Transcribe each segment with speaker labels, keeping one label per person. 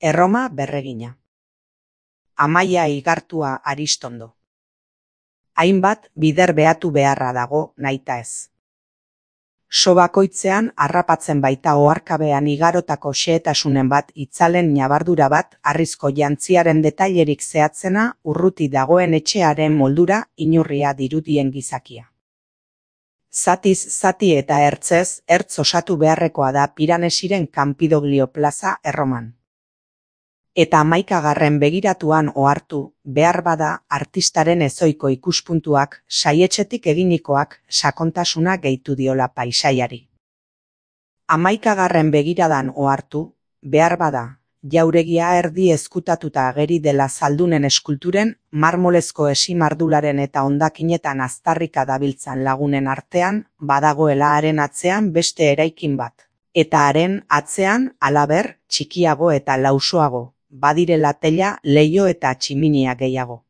Speaker 1: Erroma berregina. Amaia igartua Aristondo. Hainbat bider behatu beharra dago naita ez. So bakoitzean harrapatzen baita oharkabean igarotako xehetasunen bat itzalen ñabardura bat harrizko jantziaren detailerik zehatzena urruti dagoen etxearen moldura inurria dirudien gizakia. Zatiz zati eta ertzez ertz osatu beharrekoa da Piranesiren Campidoglio plaza Erroman. Eta 11. begiratuan ohartu, behar bada artistaren ezoiko ikuspuntuak, saietxetik eginikoak, sakontasuna gehitu diola paisaiari. 11. begiradan ohartu, behar bada, jauregia erdi ezkutatuta ageri dela zaldunen eskulturen, marmolezko esimardularen eta hondakinetan aztarrika dabiltzan lagunen artean, badagoela haren atzean beste eraikin bat. Eta haren atzean, halaber, txikiago eta lausoago. Badirela tela, leiho eta tximinia gehiago.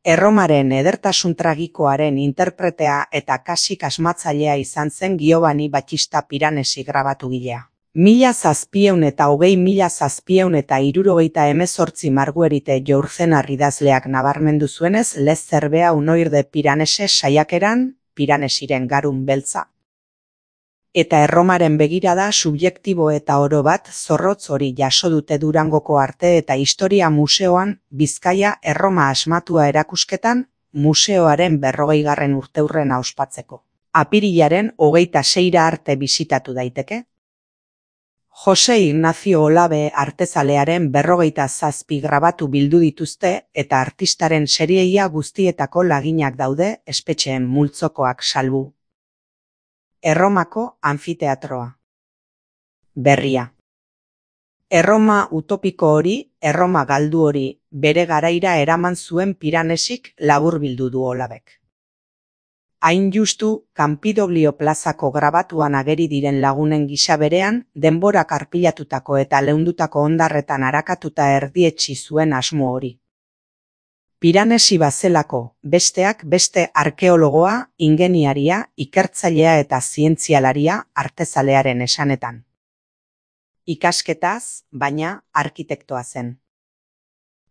Speaker 1: Erromaren edertasun tragikoaren interpretea eta kasik asmatzailea izan zen Giovanni Battista Piranesi grabatugilea. 1700–1778 Marguerite Yourcenar idazleak nabarmendu zuenez Les Zerbea Unoir de Piranesi saiakeran, Piranesiren garun beltza. Eta Erromaren begirada subjektibo eta oro bat zorrotz hori jaso dute Durangoko Arte eta Historia Museoan Bizkaia Erroma asmatua erakusketan museoaren 40. urteurrena ospatzeko. Apirilaren 26 arte bisitatu daiteke. Jose Ignacio Olabe artezalearen 47 grabatu bildu dituzte eta artistaren serieia guztietako laginak daude espetxeen multzokoak salbu. Erromako anfiteatroa. Berria. Erroma utopiko hori, Erroma galdu hori, bere garaira eraman zuen Piranesik laburbildu du Olabek. Hain justu, Campidoglio plazako grabatuan ageri diren lagunen gisa berean, denborak arpilatutako eta leundutako hondarretan arakatuta erdietsi zuen asmo hori. Piranesi bazelako, besteak beste arkeologoa, ingeniaria, ikertzailea eta zientzialaria artezalearen esanetan. Ikasketaz, baina arkitektoa zen.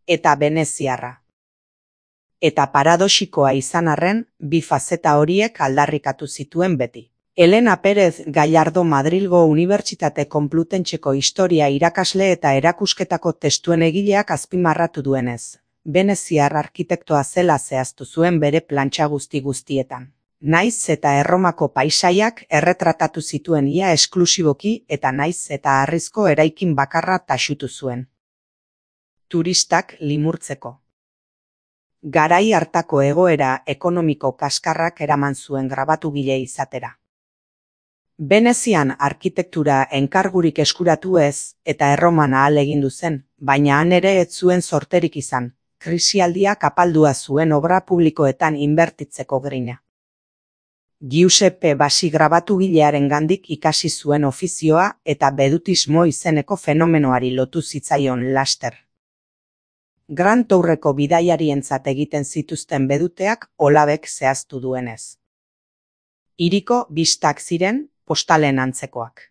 Speaker 1: Eta veneziarra. Eta paradoxikoa izan arren, bi fazeta horiek aldarrikatu zituen beti. Elena Pérez Gallardo Madrilgo Unibertsitate Konplutentxeko historia irakasle eta erakusketako testuen egileak azpimarratu duenez. Veneziar arkitektoa zela zehaztu zuen bere plantxa guztietan. Naiz eta Erromako paisaiak erretratatu zituen ia esklusiboki eta naiz eta harrizko eraikin bakarra taxutu zuen. Turistak limurtzeko. Garai hartako egoera ekonomiko kaskarrak eraman zuen grabatugile izatera. Venezian arkitektura enkargurik eskuratu ez eta Erroman ahalegindu zen, baina han ere ez zuen zorterik izan. Krisialdiak apaldua zuen obra publikoetan inbertitzeko grina. Giuseppe Bassi grabatugilearen gandik ikasi zuen ofizioa eta bedutismo izeneko fenomenoari lotu zitzaion laster. Grand Tourreko bidaiarientzat egiten zituzten beduteak Olabek zehaztu duenez. Hiriko bistak ziren postalen antzekoak.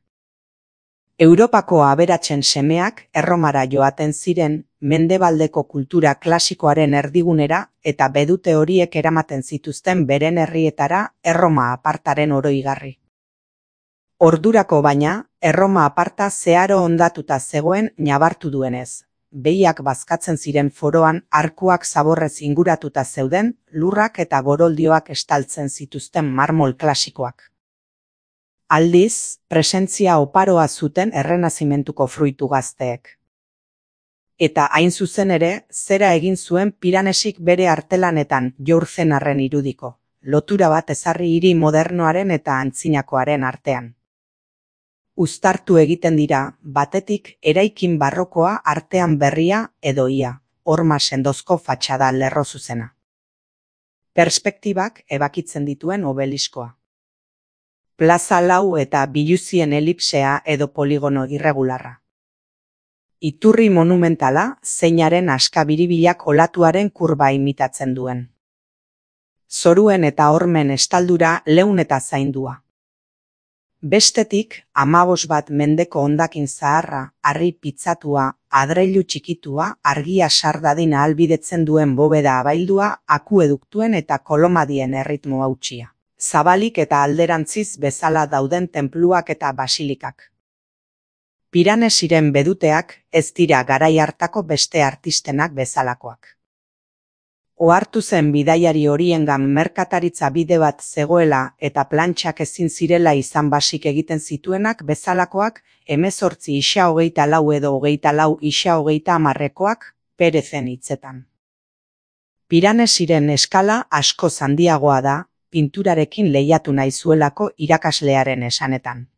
Speaker 1: Europako aberatsen semeak Erromara joaten ziren mendebaldeko kultura klasikoaren erdigunera eta bedute horiek eramaten zituzten beren herrietara Erroma apartaren oroigarri. Ordurako baina, Erroma aparta zeharo hondatuta zegoen ñabartu duenez. Behiak bazkatzen ziren foroan arkuak zaborrez inguratuta zeuden, lurrak eta goroldioak estaltzen zituzten marmol klasikoak. Aldiz, presentzia oparoa zuten errenazimentuko fruitu gazteek. Eta hain zuzen ere, zera egin zuen Piranesik bere artelanetan Yourcenarren irudiko, lotura bat ezarri hiri modernoaren eta antzinakoaren artean. Uztartu egiten dira, batetik eraikin barrokoa artean berria edo ia, horma sendozko fatxada lerro zuzena. Perspektibak ebakitzen dituen obeliskoa. Plaza lau eta biluzien elipsea edo poligono irregularra. Iturri monumentala zeinaren askabiribilak olatuaren kurba imitatzen duen. Zoruen eta hormen estaldura leun eta zaindua. Bestetik, 15 mendeko hondakin zaharra, harri pitzatua, adreilu txikitua, argia sar dadin ahalbidetzen duen bobeda abaildua, akueduktuen eta kolomadien erritmo hautsia. Zabalik eta alderantziz bezala dauden tenpluak eta basilikak. Piranesiren beduteak ez dira garai hartako beste artistenak bezalakoak. Ohartu zen bidaiari horiengan merkataritza bide bat zegoela eta plantxak ezin zirela izan basik egiten zituenak bezalakoak, 18 isa 24 edo 24 isa 30 Perezen hitzetan. Piranesiren eskala asko handiagoa da, pinturarekin lehiatu nahi zuelako irakaslearen esanetan.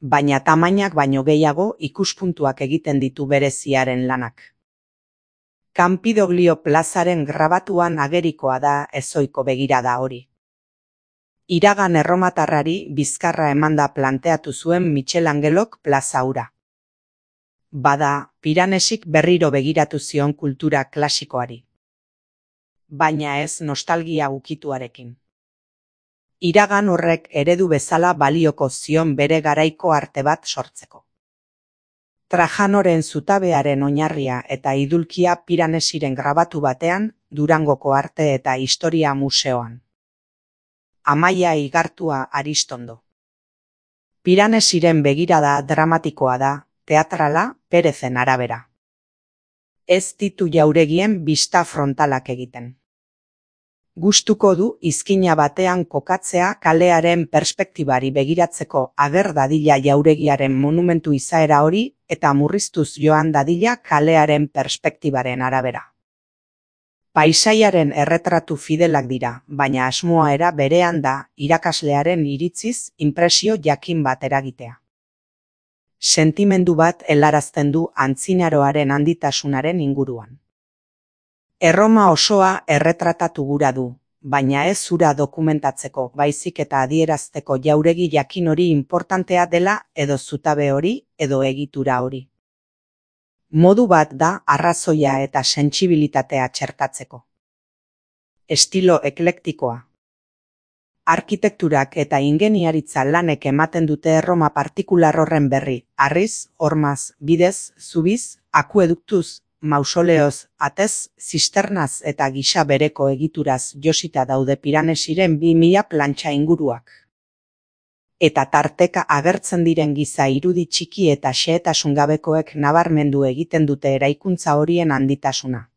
Speaker 1: Baina tamainak baino gehiago ikuspuntuak egiten ditu bereziaren lanak. Campidoglio plazaren grabatuan agerikoa da ezoiko begirada hori. Iragan erromatarrari bizkarra emanda planteatu zuen Michelangelok plaza hura. Bada, Piranesik berriro begiratu zion kultura klasikoari. Baina ez nostalgia ukituarekin. Iragan horrek eredu bezala balioko zion bere garaiko arte bat sortzeko. Trajanoren zutabearen oinarria eta idulkia Piranesiren grabatu batean, Durangoko Arte eta Historia Museoan. Amaia Igartua Aristondo. Piranesiren begirada dramatikoa da, teatrala, Perezen arabera. Ez ditu jauregien bista frontalak egiten. Gustuko du izkina batean kokatzea kalearen perspektibari begiratzeko ager dadila jauregiaren monumentu izaera hori eta murriztuz joan dadila kalearen perspektibaren arabera. Paisaiaren erretratu fidelak dira, baina asmoa era berean da irakaslearen iritziz inpresio jakin bat eragitea. Sentimendu bat helarazten du antzinaroaren handitasunaren inguruan. Erroma osoa erretratatu gura du, baina ez hura dokumentatzeko, baizik eta adierazteko jauregi jakin hori importantea dela edo zutabe hori edo egitura hori. Modu bat da arrazoia eta sentsibilitatea txertatzeko. Estilo eklektikoa. Arkitekturak eta ingeniaritza lanek ematen dute erroma partikular horren berri, harriz, hormaz, bidez, zubiz, akueduktuz, mausoleoz, atez, zisternaz eta gisa bereko egituraz josita daude Piranesiren 2000 plantxa inguruak. Eta tarteka agertzen diren giza irudi txiki eta xehetasun gabekoek nabarmendu egiten dute eraikuntza horien handitasuna.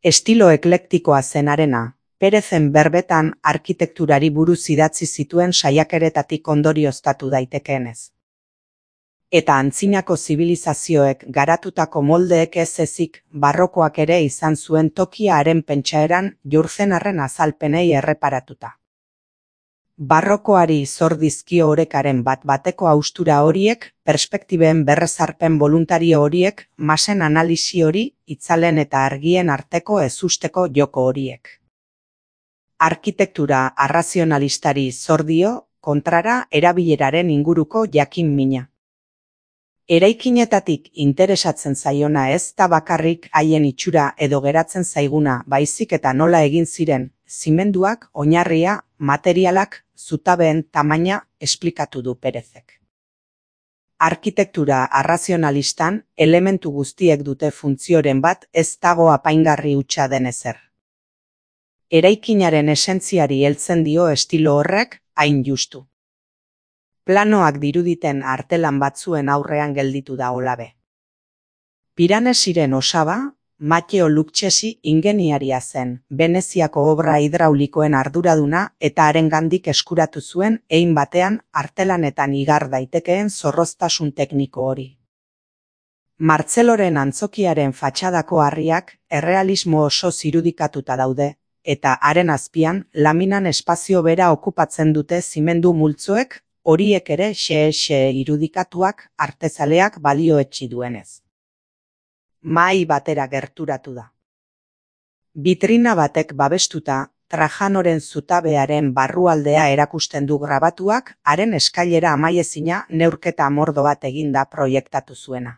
Speaker 1: Estilo eklektikoa zenarena, Perezen berbetan arkitekturari buruz idatzi zituen saiakeretatik ondorioztatu daitekeenez. Eta antzinako zibilizazioek garatutako moldeek ez ezik barrokoak ere izan zuen tokia haren pentsaeran Jurzenarren azalpenei erreparatuta. Barrokoari zor dizkio orekaren bat-bateko haustura horiek, perspektiben berrezarpen voluntario horiek, masen analisi hori, itzalen eta argien arteko ezusteko joko horiek. Arkitektura arrazionalistari zor dio, kontrara erabileraren inguruko jakin mina. Eraikinetatik interesatzen zaiona ez da bakarrik haien itxura edo geratzen zaiguna, baizik eta nola egin ziren, zimenduak, oinarria, materialak, zutabeen tamaina esplikatu du Perezek. Arkitektura arrazionalistan elementu guztiek dute funtzioren bat ez dago apaingarri hutsa den ezer. Eraikinaren esentziari heltzen dio estilo horrek hain justu. Planoak diruditen artelan batzuen aurrean gelditu da olabe. Piranesiren osaba, Matteo Lucchesi ingeniaria zen, Veneziako obra hidraulikoen arduraduna eta harengandik eskuratu zuen hein batean artelanetan igar daitekeen zorroztasun tekniko hori. Martzeloren antzokiaren fatxadako harriak errealismo oso zirudikatuta daude, eta haren azpian laminan espazio bera okupatzen dute zimendu multzoek, horiek ere xe irudikatuak artezaleak balioetsi duenez. Mahai batera gerturatu da. Bitrina batek babestuta, Trajanoren zutabearen barrualdea erakusten du grabatuak, haren eskailera amaiezina neurketa mordo bat eginda proiektatu zuena.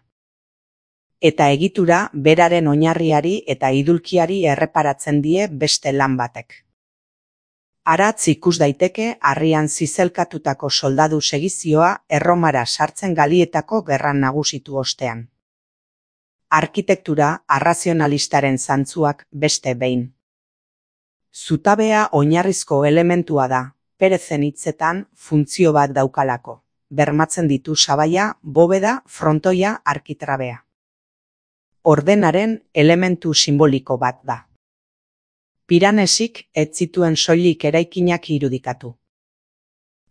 Speaker 1: Eta egitura beraren oinarriari eta idulkiari erreparatzen die beste lan batek. Aratz ikus daiteke harrian zizelkatutako soldadu segizioa Erromara sartzen Galietako gerran nagusitu ostean. Arkitektura arrazionalistaren zantzuak beste behin. Zutabea oinarrizko elementua da, Perezen hitzetan funtzio bat daukalako. Bermatzen ditu sabaia, bobeda, frontoia, arkitrabea. Ordenaren elementu simboliko bat da. Piranesik ez zituen soilik eraikinak irudikatu.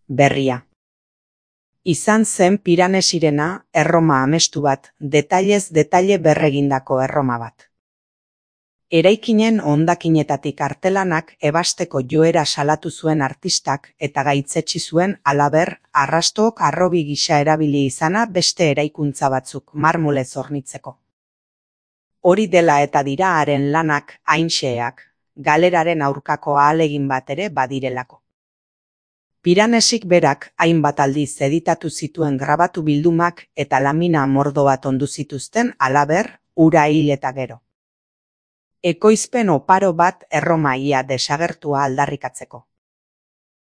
Speaker 1: Berria. Izan zen Piranesirena erroma amestu bat, detailez detaile berregindako erroma bat. Eraikinen hondakinetatik artelanak ebasteko joera salatu zuen artistak eta gaitzetsi zuen halaber arrastook harrobi gisa erabili izana beste eraikuntza batzuk marmolez hornitzeko. Hori dela eta dira haren lanak hain xeheak, galeraren aurkako ahalegin bat ere badirelako. Piranesik berak hainbat aldiz editatu zituen grabatu bildumak eta lamina mordo bat ondu zituzten halaber ura hil eta gero. Ekoizpen oparo bat erroma ia desagertua aldarrikatzeko.